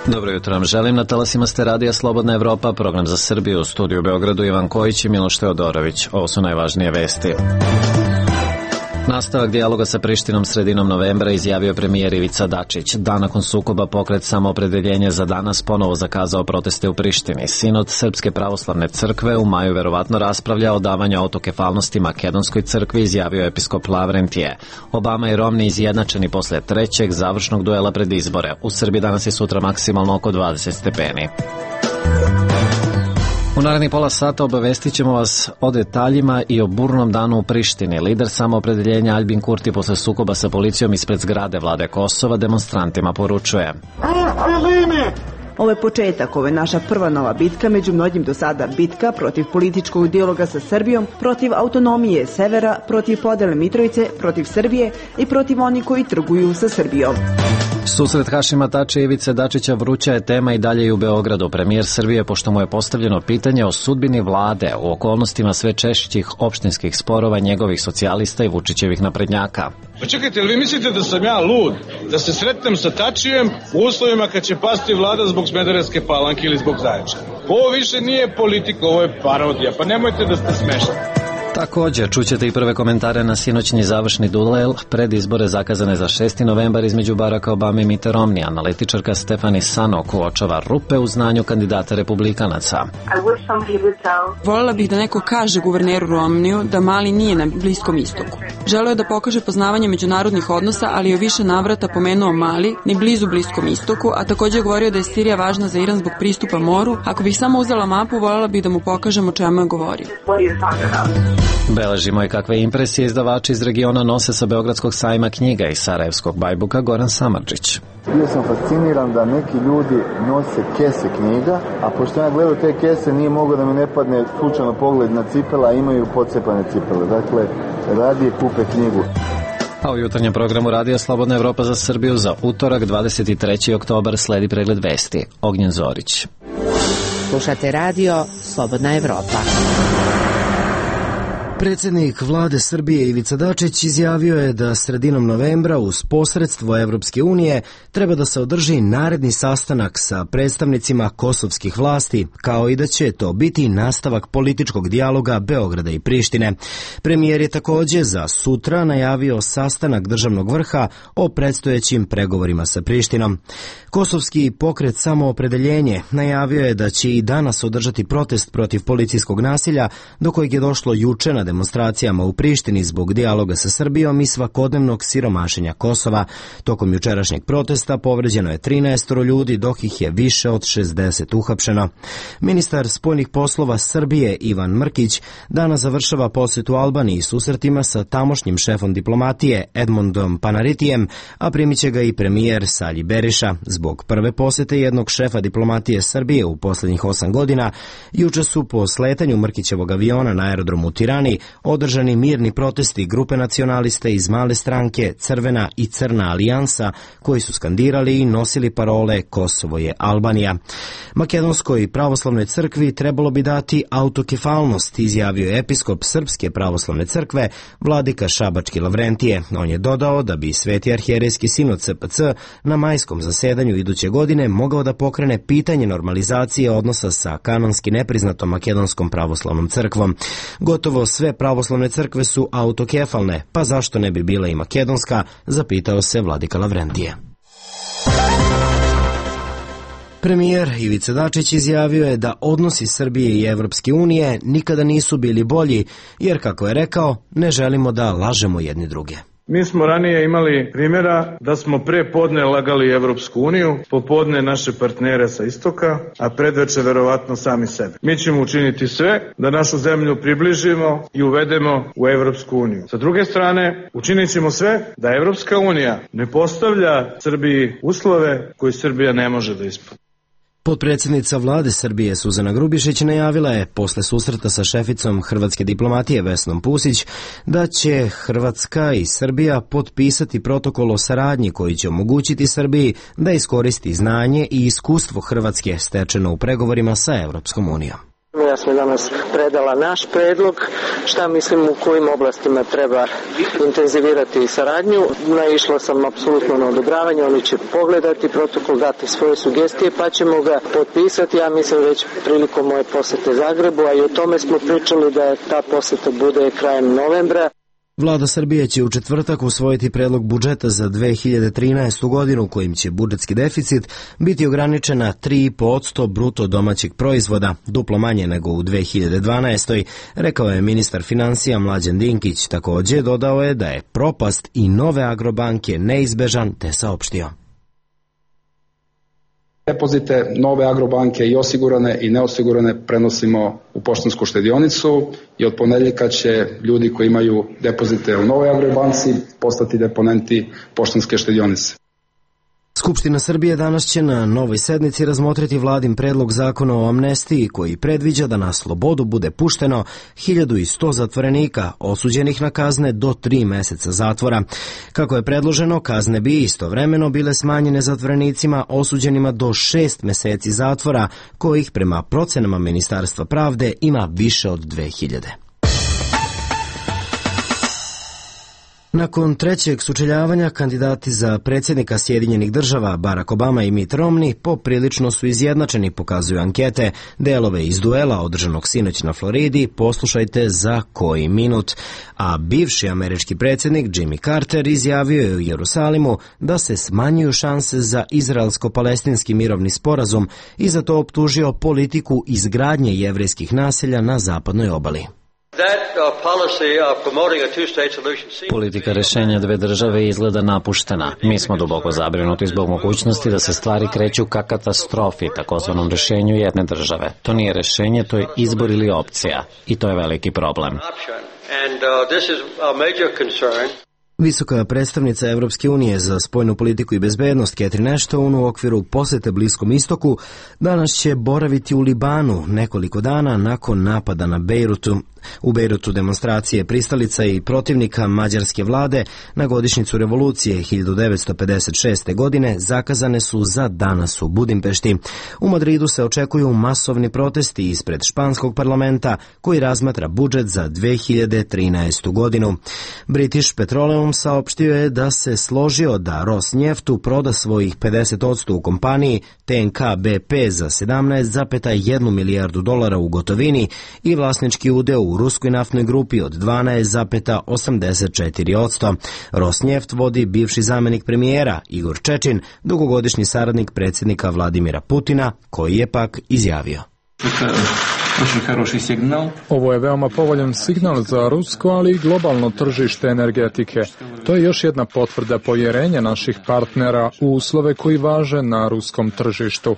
Dobro jutro vam želim. Na talasima ste Radija Slobodna Evropa, program za Srbiju, u studiju u Beogradu Ivan Kojić i Miloš Teodorović. Ovo su najvažnije vesti. Nastavak dijaloga sa Prištinom sredinom novembra izjavio premijer Ivica Dačić. Dan nakon sukoba Pokret Samoopredeljenje za danas ponovo zakazao proteste u Prištini. Sinod Srpske pravoslavne crkve u maju verovatno raspravlja o davanju autokefalnosti Makedonskoj crkvi, izjavio episkop Lavrentije. Obama i Romni izjednačeni posle trećeg završnog duela pred izbore. U Srbiji danas i sutra maksimalno oko 20 stepeni. U narednih pola sata obavestit ćemo vas o detaljima i o burnom danu u Prištini. Lider Samoopredeljenja Aljbin Kurti posle sukoba sa policijom ispred zgrade vlade Kosova demonstrantima poručuje: Ovo je početak, ovo je naša prva nova bitka, među mnogim do sada bitka protiv političkog dijaloga sa Srbijom, protiv autonomije severa, protiv podele Mitrovice, protiv Srbije i protiv onih koji trguju sa Srbijom. Susret Hašima Tačija i Ivice Dačića vruća je tema i dalje i u Beogradu. Premijer Srbije, pošto mu je postavljeno pitanje o sudbini vlade u okolnostima sve češćih opštinskih sporova njegovih socijalista i Vučićevih naprednjaka. Pa čekajte, ali vi mislite da sam ja lud da se sretnem sa Tačijem u uslovima kad će pasti vlada zbog Smederevske Palanke ili zbog Zaječara? Ovo više nije politika, ovo je parodija, pa nemojte da ste smešni. Također, čućete i prve komentare na sinoćni završni duel pred izbore zakazane za 6. novembar između Baracka Obame i Mitte Romney. Analitičarka Stefani Sanok uočava rupe u znanju kandidata republikanaca. Voljela bih da neko kaže guverneru Romneyu da Mali nije na Bliskom istoku. Želeo je da pokaže poznavanje međunarodnih odnosa, ali je više navrata pomenuo Mali, ni blizu Bliskom istoku, a također je govorio da je Sirija važna za Iran zbog pristupa moru. Ako bih samo uzela mapu, voljela bih da mu pokažem o čemu je govorio. Beležimo i kakve impresije izdavači iz regiona nose sa Beogradskog sajma knjiga i Sarajevskog Bajbuka Goran Samardžić. Bio sam fasciniran da neki ljudi nose kese knjiga, a pošto ja gledao te kese nije mogao da mi ne padne slučajno pogled na cipela, a imaju pocepane cipele. Dakle, radije kupe knjigu. A u jutarnjem programu Radija Slobodna Evropa za Srbiju za utorak 23. oktobar sledi pregled vesti. Ognjen Zorić. Slušate Radio Slobodna Evropa. Predsjednik vlade Srbije Ivica Dačić izjavio je da sredinom novembra uz posredstvo Evropske unije treba da se održi naredni sastanak sa predstavnicima kosovskih vlasti, kao i da će to biti nastavak političkog dijaloga Beograda i Prištine. Premijer je također za sutra najavio sastanak državnog vrha o predstojećim pregovorima sa Prištinom. Kosovski pokret Samoopredeljenje najavio je da će i danas održati protest protiv policijskog nasilja, do kojeg je došlo juče na demonstracijama u Prištini zbog dijaloga sa Srbijom i svakodnevnog siromašenja Kosova. Tokom jučerašnjeg protesta povređeno je 13 ljudi, dok ih je više od 60 uhapšeno. Ministar spoljnih poslova Srbije Ivan Mrkić danas završava posjetu Albaniji susretima sa tamošnjim šefom diplomatije Edmondom Panaritijem, a primit će ga i premijer Salji Beriša. Zbog prve posjete jednog šefa diplomatije Srbije u posljednjih 8 godina, juče su po sletanju Mrkićevog aviona na aerodromu u Tirani održani mirni protesti grupe nacionaliste iz male stranke Crvena i Crna alijansa, koji su skandirali i nosili parole Kosovo je Albanija. Makedonskoj pravoslavnoj crkvi trebalo bi dati autokefalnost, izjavio je episkop Srpske pravoslavne crkve vladika Šabački Lavrentije. On je dodao da bi Sveti arhijerejski sinod SPC na majskom zasedanju iduće godine mogao da pokrene pitanje normalizacije odnosa sa kanonski nepriznatom Makedonskom pravoslavnom crkvom. Gotovo sve pravoslavne crkve su autokefalne, pa zašto ne bi bila i makedonska, zapitao se vladika Lavrentije. Premijer Ivica Dačić izjavio je da odnosi Srbije i Evropske unije nikada nisu bili bolji, jer, kako je rekao, ne želimo da lažemo jedni druge. Mi smo ranije imali primjera da smo pre podne lagali Evropsku uniju, popodne naše partnere sa istoka, a predveče verovatno sami sebe. Mi ćemo učiniti sve da našu zemlju približimo i uvedemo u Evropsku uniju. Sa druge strane, učinit ćemo sve da Evropska unija ne postavlja Srbiji uslove koje Srbija ne može da ispuni. Potpredsjednica vlade Srbije Suzana Grubišić najavila je posle susreta sa šeficom hrvatske diplomatije Vesnom Pusić da će Hrvatska i Srbija potpisati protokol o saradnji koji će omogućiti Srbiji da iskoristi znanje i iskustvo Hrvatske stečeno u pregovorima sa Evropskom unijom. Ja sam danas predala naš predlog, šta mislim u kojim oblastima treba intenzivirati saradnju. Naišla sam apsolutno na odobravanje, oni će pogledati protokol, dati svoje sugestije pa ćemo ga potpisati, ja mislim već prilikom moje posete Zagrebu, a i o tome smo pričali da ta poseta bude krajem novembra. Vlada Srbije će u četvrtak usvojiti predlog budžeta za 2013. godinu kojim će budžetski deficit biti ograničen na 3,5% bruto domaćeg proizvoda, duplo manje nego u 2012. rekao je ministar finansija Mlađan Dinkić. Također dodao je da je propast i nove Agrobanke neizbežan, te saopštio. Depozite nove Agrobanke i osigurane i neosigurane prenosimo u poštansku štedionicu i od ponedjeljka će ljudi koji imaju depozite u novoj Agrobanci postati deponenti poštanske štedionice. Skupština Srbije danas će na novoj sednici razmotriti vladin predlog zakona o amnestiji koji predviđa da na slobodu bude pušteno 1100 zatvorenika osuđenih na kazne do 3 meseca zatvora. Kako je predloženo, kazne bi istovremeno bile smanjene zatvorenicima osuđenima do 6 meseci zatvora, kojih prema procenama Ministarstva pravde ima više od 2000. Nakon trećeg sučeljavanja, kandidati za predsjednika Sjedinjenih država Barack Obama i Mitt Romney poprilično su izjednačeni, pokazuju ankete. Delove iz duela održanog sinoć na Floridi poslušajte za koji minut. A bivši američki predsjednik Jimmy Carter izjavio je u Jerusalimu da se smanjuju šanse za izraelsko-palestinski mirovni sporazum i za to optužio politiku izgradnje jevrejskih naselja na zapadnoj obali. Politika rješenja dve države izgleda napuštena. Mi smo duboko zabrinuti zbog mogućnosti da se stvari kreću ka katastrofi, takozvanom rješenju jedne države. To nije rješenje, to je izbor ili opcija. I to je veliki problem. Visoka predstavnica Evropske unije za spoljnu politiku i bezbednost Catherine Ashton u okviru posete Bliskom istoku danas će boraviti u Libanu nekoliko dana nakon napada na Bejrutu. U Bejrutu demonstracije pristalica i protivnika mađarske vlade na godišnjicu revolucije 1956. godine zakazane su za danas u Budimpešti. U Madridu se očekuju masovni protesti ispred španskog parlamenta koji razmatra budžet za 2013. godinu. British Petroleum saopštio je da se složio da Rosnjeftu proda svojih 50% u kompaniji TNK BP za $17,1 milijardu u gotovini i vlasnički udeo u ruskoj naftnoj grupi od 12,84%. Rosnjeft vodi bivši zamjenik premijera Igor Čečin, dugogodišnji saradnik predsjednika Vladimira Putina, koji je pak izjavio. Ovo je veoma povoljan signal za rusko, ali i globalno tržište energetike. To je još jedna potvrda povjerenja naših partnera u uslove koji važe na ruskom tržištu.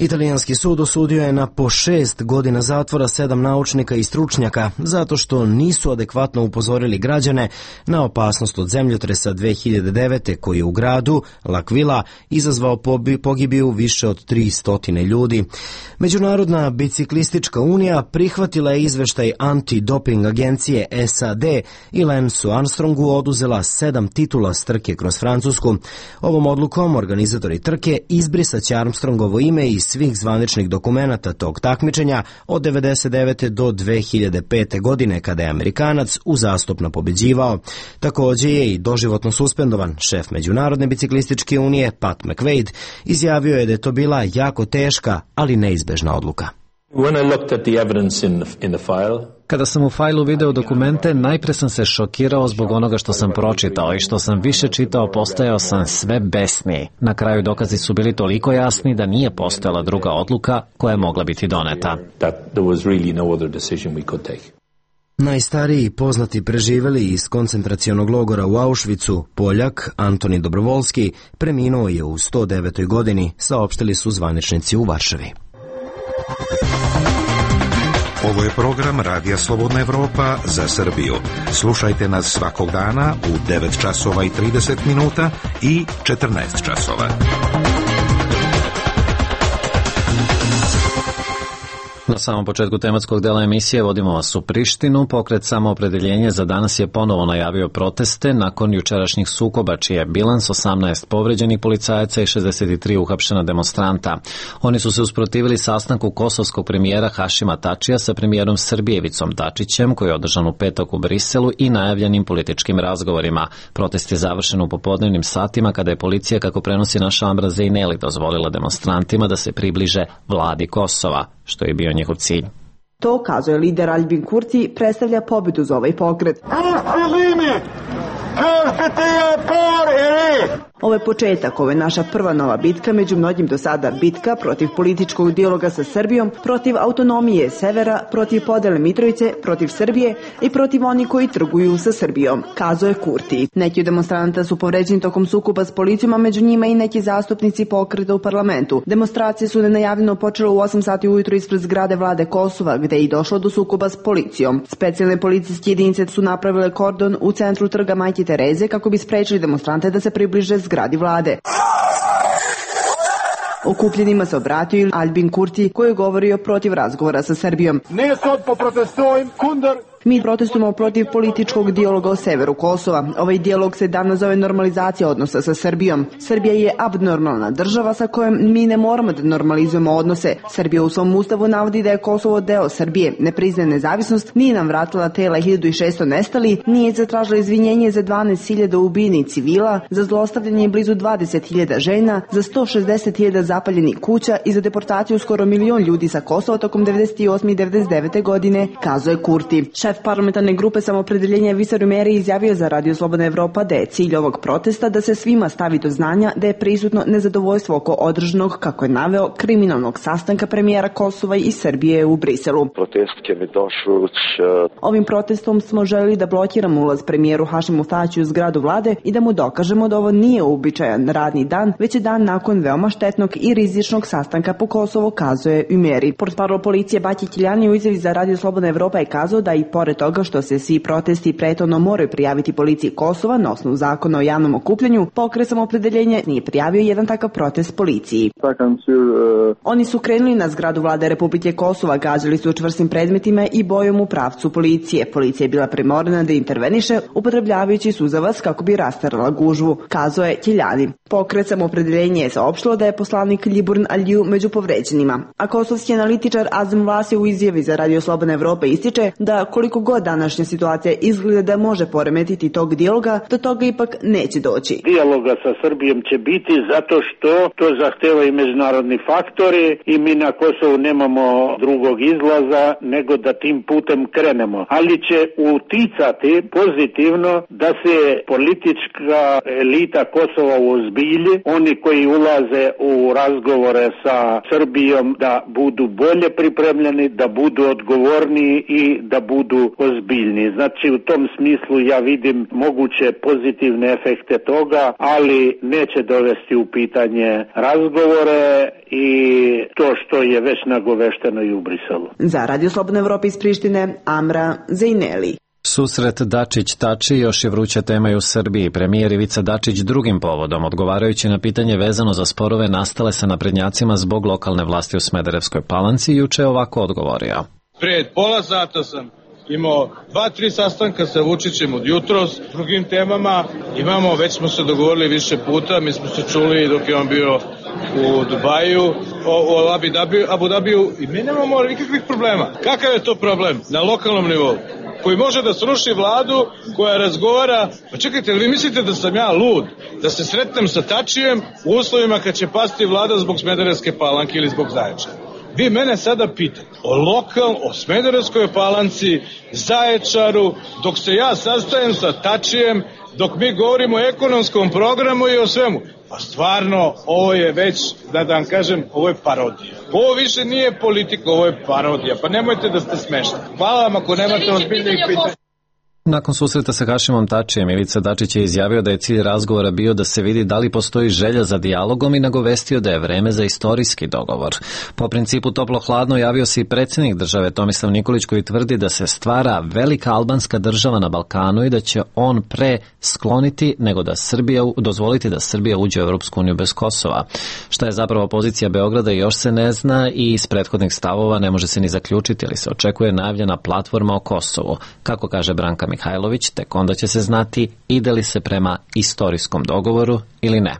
Italijanski sud osudio je na po 6 godina zatvora 7 naučnika i stručnjaka zato što nisu adekvatno upozorili građane na opasnost od zemljotresa 2009. koji je u gradu L'Aquila izazvao pogibiju više od 300 ljudi. Međunarodna biciklistička unija prihvatila je izveštaj antidoping agencije SAD i Lancu Armstrongu oduzela 7 titula s trke kroz Francusku. Ovom odlukom organizatori trke izbrisaće Armstrongovo ime i svih zvaničnih dokumenata tog takmičenja od 1999. do 2005. godine kada je Amerikanac uzastopno pobeđivao. Također je i doživotno suspendovan. Šef Međunarodne biciklističke unije Pat McQuaid izjavio je da je to bila jako teška, ali neizbežna odluka. Kada sam u fajlu video dokumente, najpre sam se šokirao zbog onoga što sam pročitao i što sam više čitao, postajao sam sve besniji. Na kraju dokazi su bili toliko jasni da nije postojala druga odluka koja je mogla biti doneta. Najstariji poznati preživeli iz koncentracionog logora u Auschwitzu, Poljak Antoni Dobrovolski, preminuo je u 109. godini, saopštili su zvaničnici u Varšavi. Ovo je program Radija Slobodna Evropa za Srbiju. Slušajte nas svakog dana u 9 časova i 30 minuta i 14 časova. Na samom početku tematskog dela emisije vodimo vas u Prištinu. Pokret Samoopredeljenje za danas je ponovo najavio proteste nakon jučerašnjih sukoba, čiji je bilans 18 povređenih policajaca i 63 uhapšena demonstranta. Oni su se usprotivili sastanku kosovskog premijera Hašima Tačija sa premijerom Srbije Ivicom Dačićem, koji je održan u petak u Briselu, i najavljenim političkim razgovorima. Protest je završen u popodnevnim satima kada je policija, kako prenosi naša Amra Zejneli, dozvolila demonstrantima da se približe vladi Kosova, što je bio njihov cilj. To, kazuje lider Albin Kurti, predstavlja pobedu za ovaj pokret. Ovo je početak, ovo je naša prva nova bitka, među mnogim do sada bitka protiv političkog dijaloga sa Srbijom, protiv autonomije severa, protiv podele Mitrovice, protiv Srbije i protiv onih koji trguju sa Srbijom, kazuje Kurti. Neki od demonstranata su povređeni tokom sukoba s policijom, a među njima i neki zastupnici pokreta u parlamentu. Demonstracije su nenajavljeno počele u 8 sati ujutru ispred zgrade vlade Kosova, gde je i došlo do sukoba s policijom. Specijalne policijske jedinice su napravile kordon u centru trga Majke Tereze kako bi sprečili demonstrante da se približe zgradi vlade. Okupljenima se obratio Albin Kurti, koji je govorio protiv razgovora sa Srbijom. Mi protestujemo protiv političkog dijaloga o severu Kosova. Ovaj dijalog se danas zove normalizacija odnosa sa Srbijom. Srbija je abnormalna država sa kojom mi ne moramo da normalizujemo odnose. Srbija u svom ustavu navodi da je Kosovo deo Srbije, ne priznaje nezavisnost, nije nam vratila tela 1600 nestali, nije zatražila izvinjenje za 12.000 ubijenih civila, za zlostavljanje blizu 20.000 žena, za 160.000 zapaljenih kuća i za deportaciju skoro 1 milion ljudi sa Kosova tokom 98. i 99. godine, kazuje Kurti. Šef parlamentarne grupe Samoopredeljenja Visar Umeri izjavio za Radio Slobodna Evropa da je cilj ovog protesta da se svima stavi do znanja da je prisutno nezadovoljstvo oko održanog, kako je naveo, kriminalnog sastanka premijera Kosova i Srbije u Briselu. Ovim protestom smo želeli da blokiramo ulaz premijeru Hašimu Tačiju u zgradu vlade i da mu dokažemo da ovo nije uobičajan radni dan, već je dan nakon veoma štetnog i rizičnog sastanka po Kosovu, kazuje Umeri. Portparol policije Baki Kiljani u izjavi za Radio Slobodna Evropa je kazao da i pored toga što se svi protesti prethodno moraju prijaviti policiji Kosova na osnovu zakona o javnom okupljanju, pokret Samoopredeljenja nije prijavio jedan takav protest policiji. Oni su krenuli na zgradu vlade Republike Kosova, gađali su čvrstim predmetima i bojom u pravcu policije. Policija je bila primorana da interveniše, upotrebljavajući suzavac kako bi rastarala gužvu, kazao je Kiljani. Pokret Samoopredeljenja je saopštilo da je poslanik Ljiburn Aliju među povređenima. A kosovski analitičar Azem Vlasi u izjavi za Radio Slobodna Evropa ističe da koliko god današnja situacija izgleda da može poremetiti tog dijaloga, do toga ipak neće doći. Dijaloga sa Srbijom će biti zato što to zahteva i međunarodni faktori i mi na Kosovu nemamo drugog izlaza nego da tim putem krenemo. Ali će uticati pozitivno da se politička elita Kosova uozbilji, oni koji ulaze u razgovore sa Srbijom da budu bolje pripremljeni, da budu odgovorniji i da budu ozbiljni. Znači u tom smislu ja vidim moguće pozitivne efekte toga, ali neće dovesti u pitanje razgovore i to što je već nagovešteno i u Briselu. Za Radio Slobodna Evropa iz Prištine, Amra Zejneli. Susret Dačić-Tači još je vruća tema i u Srbiji. Premijer Ivica Dačić drugim povodom, odgovarajući na pitanje vezano za sporove nastale sa naprednjacima zbog lokalne vlasti u Smederevskoj Palanci, juče ovako odgovorio. Pred pola sata sam imao 2-3 sastanka sa Vučićem od jutros, drugim temama. Već smo se dogovorili više puta, mi smo se čuli dok je on bio u Dubaju, u Abu Dhabiju i mi nemamo nikakvih problema. Kakav je to problem na lokalnom nivou? Koji može da sruši vladu koja razgovara, pa čekajte, vi mislite da sam ja lud, da se sretnem sa Tačijem u uslovima kad će pasti vlada zbog Smederevske Palanke ili zbog Zaječara? Vi mene sada pitate o Smederevskoj Palanci, Zaječaru, dok se ja sastajem sa Tačijem, dok mi govorimo o ekonomskom programu i o svemu. Pa stvarno, ovo je već, da vam kažem, ovo je parodija. Ovo više nije politika, ovo je parodija. Pa nemojte da ste smešni. Hvala vam ako nemate ozbiljnih pitanja. Nakon susreta sa Hašimom Tačijem, Ivica Dačić je izjavio da je cilj razgovora bio da se vidi da li postoji želja za dijalogom i nagovestio da je vreme za istorijski dogovor. Po principu toplo-hladno javio se i predsjednik države Tomislav Nikolić koji tvrdi da se stvara velika albanska država na Balkanu i da će on pre skloniti nego da dozvoliti da Srbija uđe u Europsku uniju bez Kosova. Šta je zapravo pozicija Beograda još se ne zna i iz prethodnih stavova ne može se ni zaključiti, ali se očekuje najavljena platforma o Kosovu. Kako kaže Branka Mihajlović, tek onda će se znati ide li se prema istorijskom dogovoru ili ne.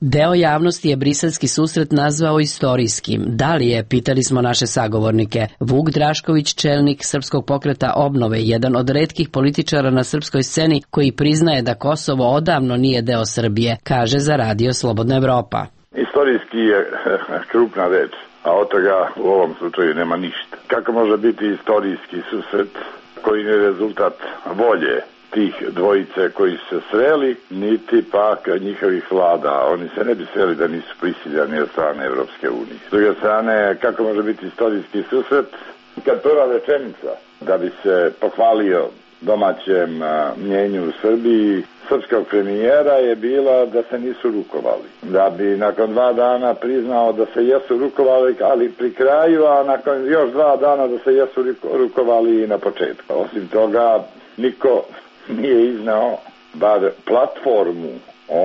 Deo javnosti je briselski susret nazvao istorijskim. Da li je, pitali smo naše sagovornike. Vuk Drašković, čelnik Srpskog pokreta Obnove, jedan od retkih političara na srpskoj sceni koji priznaje da Kosovo odavno nije deo Srbije, kaže za Radio Slobodna Evropa. Istorijski je krupna reč, a od toga u ovom slučaju nema ništa. Kako može biti istorijski susret koji je rezultat volje tih dvojice koji su se sreli, niti pak njihovih vlada. Oni se ne bi sreli da nisu prisiljani od strane Evropske unije. S druge strane, kako može biti istorijski susret kad prva rečenica da bi se pohvalio domaćem mnjenju u Srbiji srpskog premijera je bila da se nisu rukovali. Da bi nakon 2 dana priznao da se jesu rukovali, ali pri kraju, a nakon još 2 dana da se jesu rukovali i na početku. Osim toga, niko nije iznao bar platformu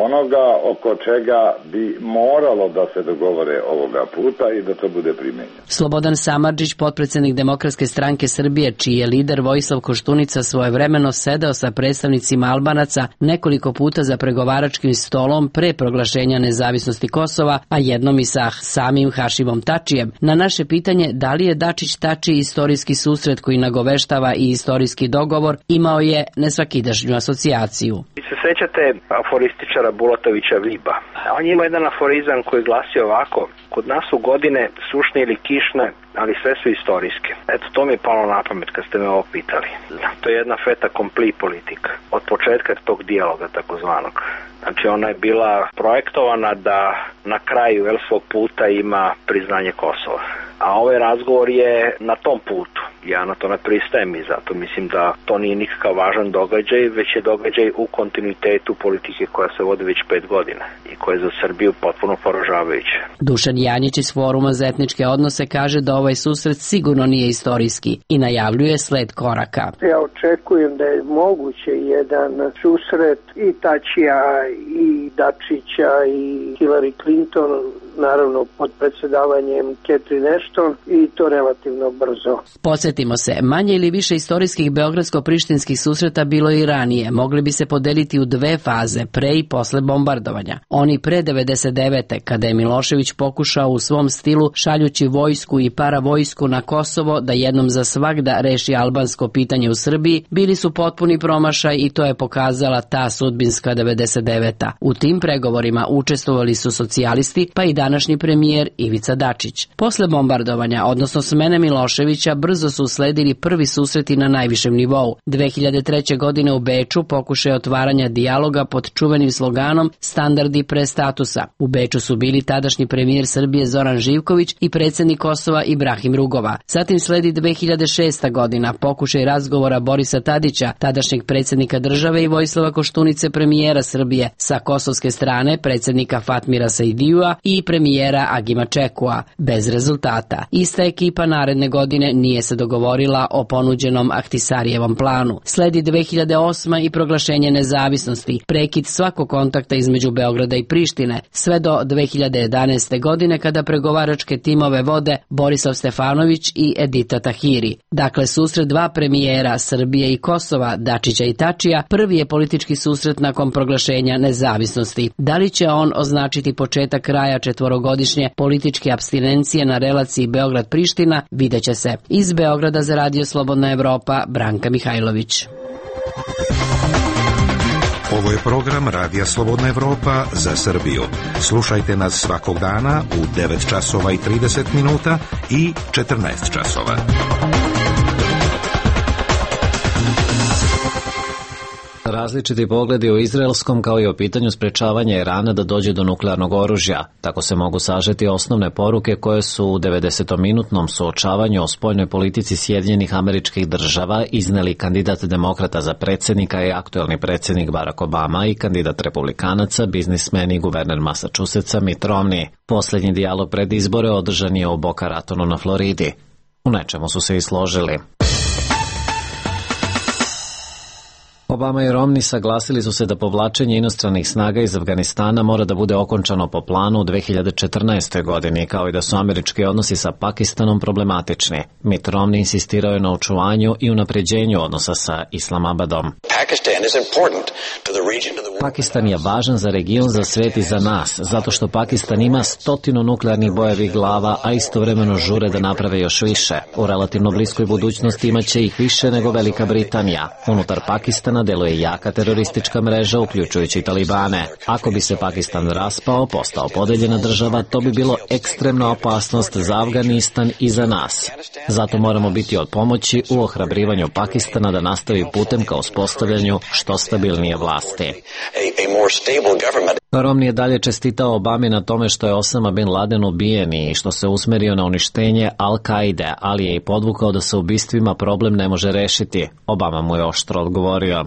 onoga oko čega bi moralo da se dogovore ovoga puta i da to bude primenjeno. Slobodan Samardžić, potpredsednik Demokratske stranke Srbije, čiji je lider Vojislav Koštunica svojevremeno sedeo sa predstavnicima Albanaca nekoliko puta za pregovaračkim stolom pre proglašenja nezavisnosti Kosova, a jednom i sa samim Hašimom Tačijem. Na naše pitanje da li je Dačić-Tači istorijski susret koji nagoveštava i istorijski dogovor, imao je nesvakidašnju asocijaciju. Se sećate aforističara Bulatovića Viba? On ima jedan aforizam koji glasi ovako: kod nas su godine sušne ili kišne, ali sve su istorijske. Eto, to mi je palo na pamet kad ste me ovo pitali. To je jedna feta kompli politika. Od početka tog dijaloga takozvanog. Znači, ona je bila projektovana da na kraju svog puta ima priznanje Kosova. A ovaj razgovor je na tom putu. Ja na to ne pristajem i zato mislim da to nije nikakav važan događaj, već je događaj u kontinuitetu politike koja se vodi već 5 godina i koja je za Srbiju potpuno poražavajuća. Dušan Janjić iz Foruma za etničke odnose kaže da ovaj susret sigurno nije istorijski i najavljuje sled koraka. Ja očekujem da je moguće jedan susret i Tačija i Dačića i Hillary Clinton, naravno pod predsjedavanjem Catherine Ashton, i to relativno brzo. Podsjetimo se, manje ili više istorijskih beogradsko-prištinskih susreta bilo i ranije. Mogli bi se podeliti u 2 faze, pre i posle bombardovanja. Oni pre 99. kada je Milošević pokušao u svom stilu, šaljući vojsku i paravojsku na Kosovo da jednom za svagda reši albansko pitanje u Srbiji, bili su potpuni promašaj i to je pokazala ta sudbinska 99. U tim pregovorima učestvovali su socijalisti, pa i današnji premijer Ivica Dačić. Posle bombardovanja, odnosno smene Miloševića, brzo su usledili prvi susreti na najvišem nivou. 2003. godine u Beču pokušaj otvaranja dijaloga pod čuvenim sloganom Standardi pre statusa. U Beču su bili tadašnji premijer Srbije Zoran Živković i predsjednik Kosova Ibrahim Rugova. Zatim sledi 2006. godina pokušaj razgovora Borisa Tadića, tadašnjeg predsjednika države, i Vojislava Koštunice, premijera Srbije, sa kosovske strane predsjednika Fatmira Saidijua i premijera Agima Čekua, bez rezultata. Ista ekipa naredne godine nije se dogovorila o ponuđenom Ahtisarijevom planu. Sledi 2008. i proglašenje nezavisnosti, prekid svakog kontakta između Beograda i Prištine, sve do 2011. godine kada pregovaračke timove vode Borislav Stefanović i Edita Tahiri. Dakle, susret 2 premijera Srbije i Kosova, Dačića i Tačija, prvi je politički susret nakon proglašenja nezavisnosti. Da li će on označiti početak kraja 4-godišnje političke apstinencije na relaciji Beograd-Priština, vidjet će se. Iz Beograda za Radio Slobodna Evropa, Branka Mihajlović. Ovo je program Radija Slobodna Evropa za Srbiju. Slušajte nas svakog dana u 9 časova i 30 minuta i 14 časova. Različiti pogledi o izraelskom kao i o pitanju sprečavanja Irana da dođe do nuklearnog oružja. Tako se mogu sažeti osnovne poruke koje su u 90-minutnom suočavanju o spoljnoj politici Sjedinjenih Američkih Država izneli kandidat demokrata za predsjednika i aktuelni predsjednik Barack Obama i kandidat republikanaca, biznismen i guverner Massachusettsa Mitt Romney. Posljednji dijalog pred izbore održan je u Boca Ratonu na Floridi. U nečemu su se i složili. Obama i Romney saglasili su se da povlačenje inostranih snaga iz Afganistana mora da bude okončano po planu u 2014. godini, kao i da su američki odnosi sa Pakistanom problematični. Mitt Romney insistirao je na očuvanju i unapređenju odnosa sa Islamabadom. Pakistan je važan za region, za svet i za nas, zato što Pakistan ima 100 nuklearnih bojevih glava, a istovremeno žure da naprave još više. U relativno bliskoj budućnosti imaće ih više nego Velika Britanija. Unutar Pakistana deluje jaka teroristička mreža, uključujući Talibane. Ako bi se Pakistan raspao, postao podeljena država, to bi bilo ekstremna opasnost za Afganistan i za nas. Zato moramo biti od pomoći u ohrabrivanju Pakistana da nastavi putem ka uspostavljanju što stabilnije vlasti. Romney je dalje čestitao Obami na tome što je Osama bin Laden ubijen i što se usmerio na uništenje Al-Kaide, ali je i podvukao da se ubistvima problem ne može rešiti. Obama mu je oštro odgovorio.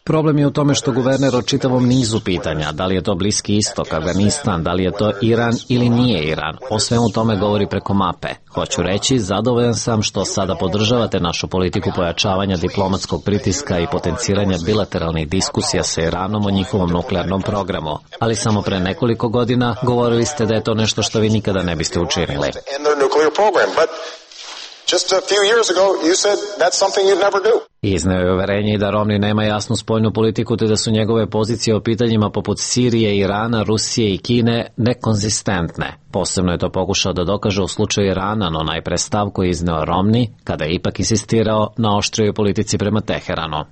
Problem je u tome što guverner o čitavom nizu pitanja, da li je to Bliski istok, Afganistan, da li je to Iran ili nije Iran, o svemu tome govori preko mape. Hoću reći, zadovoljan sam što sada podržavate našu politiku pojačavanja diplomatskog pritiska i potenciranja bilateralnih diskusija sa Iranom o njihovom nuklearnom programu. Ali samo pre nekoliko godina govorili ste da je to nešto što vi nikada ne biste učinili. Izneo je uverenje i da Romney nema jasnu spoljnu politiku te da su njegove pozicije o pitanjima poput Sirije, Irana, Rusije i Kine nekonzistentne. Posebno je to pokušao da dokaže u slučaju Irana, no najpre stav koji je izneo Romney, kada je ipak insistirao na oštrijoj politici prema Teheranu.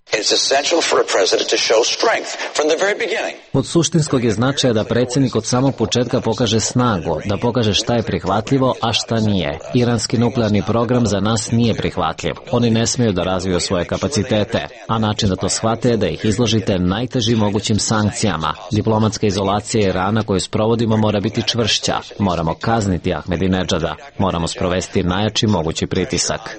Od suštinskog je značaja da predsjednik od samog početka pokaže snagu, da pokaže šta je prihvatljivo, a šta nije. Iranski nuklearni program za nas nije prihvatljiv. Oni ne smiju da razviju svoje kapacitete, a način da to shvate je da ih izložite najtežim mogućim sankcijama. Diplomatska izolacija Irana koju sprovodimo mora biti čvršća. Moramo kazniti Ahmedinedžada. Moramo sprovesti najjači mogući pritisak.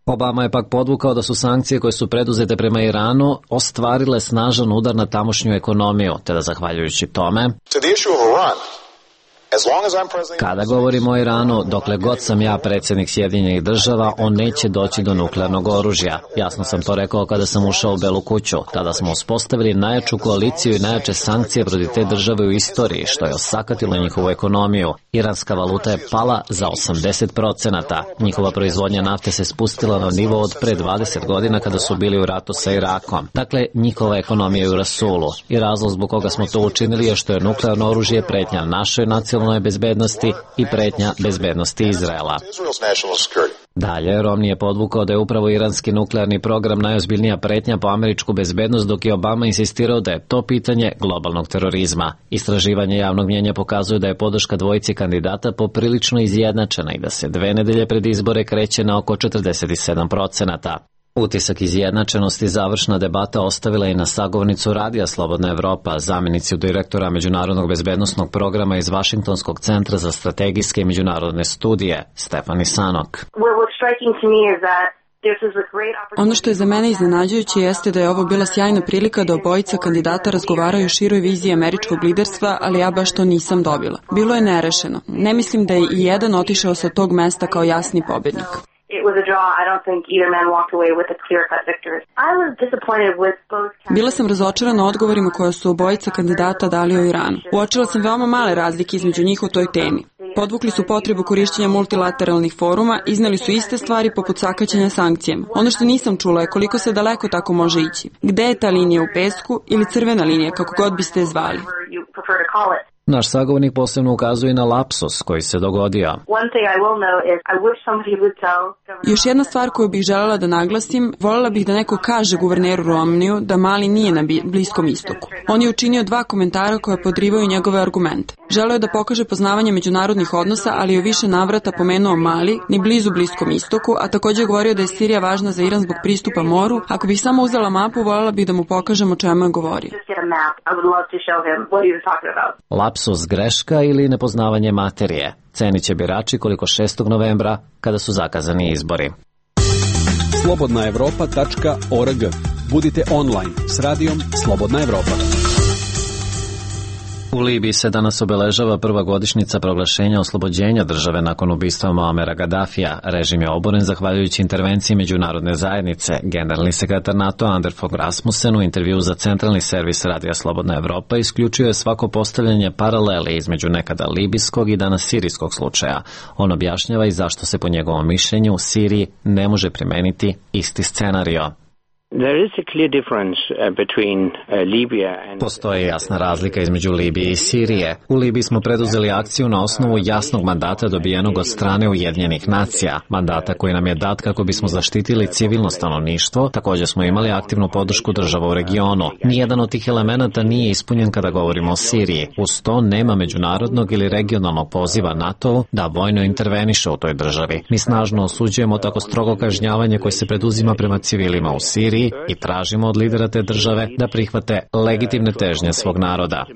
Obama je pak podvukao da su sankcije koje su preduzete prema Iranu ostvarile snažan udar na tamošnju ekonomiju, te da zahvaljujući tome kada govorimo o Iranu, dokle god sam ja predsjednik Sjedinjenih Država, on neće doći do nuklearnog oružja. Jasno sam to rekao kada sam ušao u Belu kuću. Tada smo uspostavili najjaču koaliciju i najjače sankcije protiv te države u istoriji, što je osakatilo njihovu ekonomiju. Iranska valuta je pala za 80%. Njihova proizvodnja nafte se spustila na nivo od pre 20 godina kada su bili u ratu sa Irakom. Dakle, njihova ekonomija je u rasulu. I razlog zbog koga smo to učinili je što je nuklearno oružje pretnja našoj nacionalnoj bezbednosti i pretnja bezbednosti Izraela. Dalje, Romney je podvukao da je upravo iranski nuklearni program najozbiljnija pretnja po američku bezbednost, dok je Obama insistirao da je to pitanje globalnog terorizma. Istraživanje javnog mnjenja pokazuju da je podrška dvojici kandidata poprilično izjednačena i da se 2 nedelje pred izbore kreće na oko 47%. Utisak izjednačenosti završna debata ostavila i na sagovornicu Radija Slobodna Evropa, zamjenicu direktora Međunarodnog bezbednosnog programa iz Vašingtonskog centra za strategijske i međunarodne studije, Stefani Sanok. Ono što je za mene iznenađujuće jeste da je ovo bila sjajna prilika da obojica kandidata razgovaraju o široj viziji američkog liderstva, ali ja baš to nisam dobila. Bilo je nerešeno. Ne mislim da je i jedan otišao sa tog mesta kao jasni pobjednik. Bila sam razočarana odgovorima koje su obojica kandidata dali o Iranu. Uočila sam veoma male razlike između njih o toj temi. Podvukli su potrebu korišćenja multilateralnih foruma, izneli su iste stvari poput sakaćenja sankcijama. Ono što nisam čula je koliko se daleko tako može ići. Gde je ta linija u pesku ili crvena linija, kako god biste je zvali? Naš sagovornik posebno ukazuje na lapsus koji se dogodio. Još jedna stvar koju bih želela da naglasim, voljela bih da neko kaže guverneru Romniju da Mali nije na Bliskom istoku. On je učinio 2 komentara koje podrivaju njegove argumente. Želeo je da pokaže poznavanje međunarodnih odnosa, ali je u više navrata pomenuo Mali, ni blizu Bliskom istoku, a također je govorio da je Sirija važna za Iran zbog pristupa moru. Ako bih samo uzela mapu, voljela bih da mu pokažem o čemu je govorio. Lapsus, greška ili nepoznavanje materije? Cenit će birači koliko 6. novembra, kada su zakazani izbori. slobodnaevropa.org. Budite online s radijom Slobodna Evropa. U Libiji se danas obeležava prva godišnjica proglašenja oslobođenja države nakon ubistva Muamera Gaddafija. Režim je oboren zahvaljujući intervenciji međunarodne zajednice. Generalni sekretar NATO Anders Fogh Rasmussen u intervju za centralni servis Radija Slobodna Evropa isključio je svako postavljanje paralele između nekada libijskog i danas sirijskog slučaja. On objašnjava i zašto se po njegovom mišljenju u Siriji ne može primeniti isti scenario. Postoji jasna razlika između Libije i Sirije. U Libiji smo preduzeli akciju na osnovu jasnog mandata dobijenog od strane Ujedinjenih nacija, mandata koji nam je dat kako bismo zaštitili civilno stanovništvo. Također smo imali aktivnu podršku država u regionu. Nijedan od tih elemenata nije ispunjen kada govorimo o Siriji. Uz to nema međunarodnog ili regionalnog poziva NATO da vojno interveniše u toj državi. Mi snažno osuđujemo tako strogo kažnjavanje koje se preduzima prema civilima u Siriji i tražimo od lidera te države da prihvate legitimne težnje svog naroda.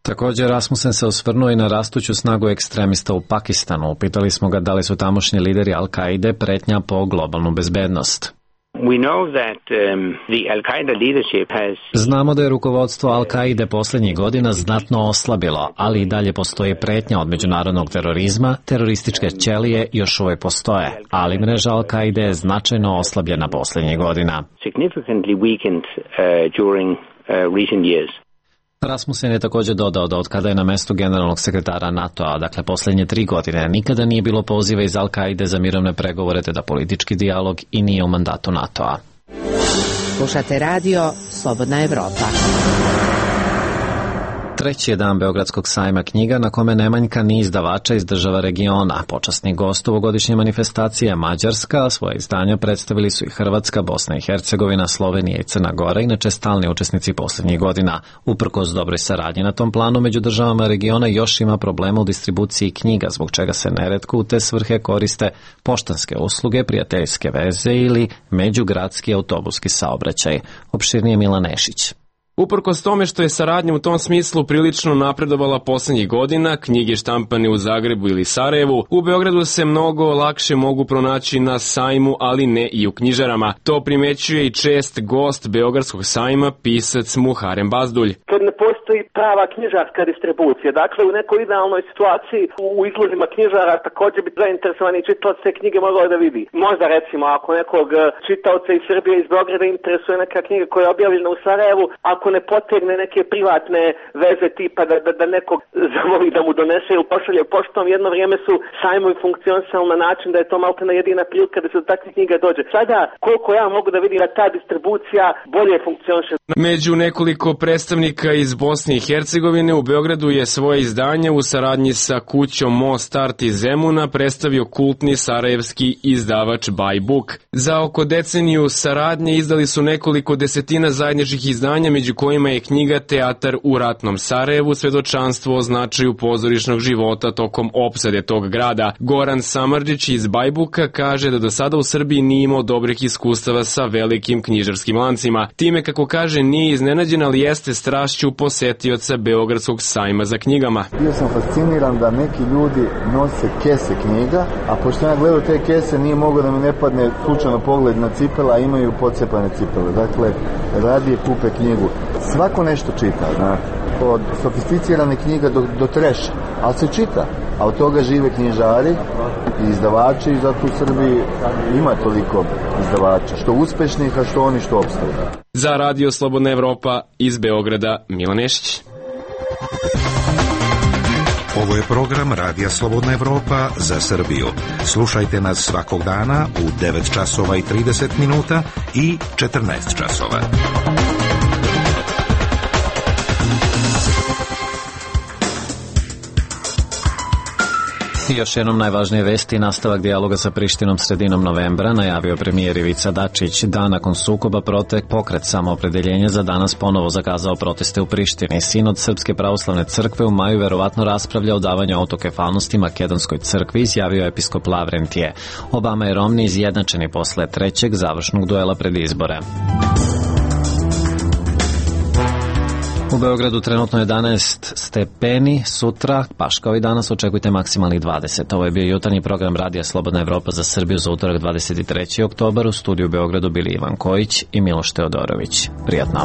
Također Rasmussen se osvrnuo i na rastuću snagu ekstremista u Pakistanu. Upitali smo ga da li su tamošnji lideri Al-Kaide pretnja po globalnu bezbednost. Znamo da je rukovodstvo Al-Kaide posljednjih godina znatno oslabilo, ali i dalje postoji pretnja od međunarodnog terorizma, terorističke ćelije još uvijek postoje, ali mreža Al-Kaide je značajno oslabljena posljednjih godina. Rasmussen je također dodao da od kada je na mestu generalnog sekretara NATO-a, dakle posljednje 3 godine, nikada nije bilo poziva iz Al-Kaide za mirovne pregovore te da politički dijalog i nije u mandatu NATO-a. Slušate radio Slobodna Evropa. Treći je dan Beogradskog sajma knjiga na kome ne manjka ni izdavača iz država regiona. Počasni gost ovogodišnje manifestacije Mađarska, a svoje izdanja predstavili su i Hrvatska, Bosna i Hercegovina, Slovenija i Crna Gora, inače stalni učesnici posljednjih godina. Uprkos dobroj saradnji na tom planu među državama regiona još ima problema u distribuciji knjiga, zbog čega se neretko u te svrhe koriste poštanske usluge, prijateljske veze ili međugradski autobuski saobraćaj. Opširnije Milan Nešić. Uprkos tome što je saradnja u tom smislu prilično napredovala posljednjih godina, knjige štampane u Zagrebu ili Sarajevu, u Beogradu se mnogo lakše mogu pronaći na sajmu, ali ne i u knjižarama. To primećuje i čest gost Beogradskog sajma, pisac Muharem Bazdulj. Kad ne postoji prava knjižarska distribucija, dakle u nekoj idealnoj situaciji u izlozima knjižara također bi zainteresovani čitalac te knjige mogao da vidi. Možda recimo ako nekog čitaoca iz Srbije iz Beograda interesuje neka knjiga koja je objavljena u Sarajevu, ako ne potegne neke privatne veze tipa da nekog zamoli da mu donese ili pošalje poštom, jedno vrijeme su sajmovi funkcionisali na način da je to maltene jedina prilika da se do takvih knjiga dođe. Sada, koliko ja mogu da vidim da ta distribucija bolje funkcioniše. Među nekoliko predstavnika iz Bosne i Hercegovine u Beogradu je svoje izdanje u saradnji sa kućom Most Art iz Zemuna predstavio kultni sarajevski izdavač By Book. Za oko deceniju saradnje izdali su nekoliko desetina zajedničkih izdanja, među kojima je knjiga Teatar u ratnom Sarajevu, svedočanstvo o značaju pozorišnog života tokom opsade tog grada. Goran Samardžić iz Bajbuka kaže da do sada u Srbiji nije imao dobrih iskustava sa velikim knjižarskim lancima. Time, kako kaže, nije iznenađen, ali jeste strašću posetioca Beogradskog sajma za knjigama. Bio sam fasciniran da neki ljudi nose kese knjiga, a pošto ja gledao te kese nije mogao da mi ne padne slučajno pogled na cipele, a imaju pocepane cipele. Dakle, radije kupe knjigu. Svako nešto čita, znate, od sofisticirane knjiga do treša, ali se čita, a od toga žive knjižari i izdavači i zato u Srbiji ima toliko izdavača, što uspešnih, a što oni što opstaju. Za Radio Slobodna Evropa iz Beograda, Milan Nešić. Ovo je program Radija Slobodna Evropa za Srbiju. Slušajte nas svakog dana u 9 časova i 30 minuta i 14 časova. I još jednom najvažnije vesti, nastavak dijaloga sa Prištinom sredinom novembra, najavio premijer Ivica Dačić. Dan nakon sukoba pokret Samoopredeljenja za danas ponovo zakazao proteste u Prištini. Sinod Srpske pravoslavne crkve u maju verovatno raspravlja o davanju autokefalnosti Makedonskoj crkvi, izjavio episkop Lavrentije. Obama i Romni izjednačeni posle trećeg završnog duela pred izbore. U Beogradu trenutno 11 stepeni, sutra, baš kao i danas, očekujte maksimalnih 20. Ovo je bio jutarnji program Radija Slobodna Evropa za Srbiju za utorak 23. oktobar. U studiju u Beogradu bili Ivan Kojić i Miloš Teodorović. Prijatno.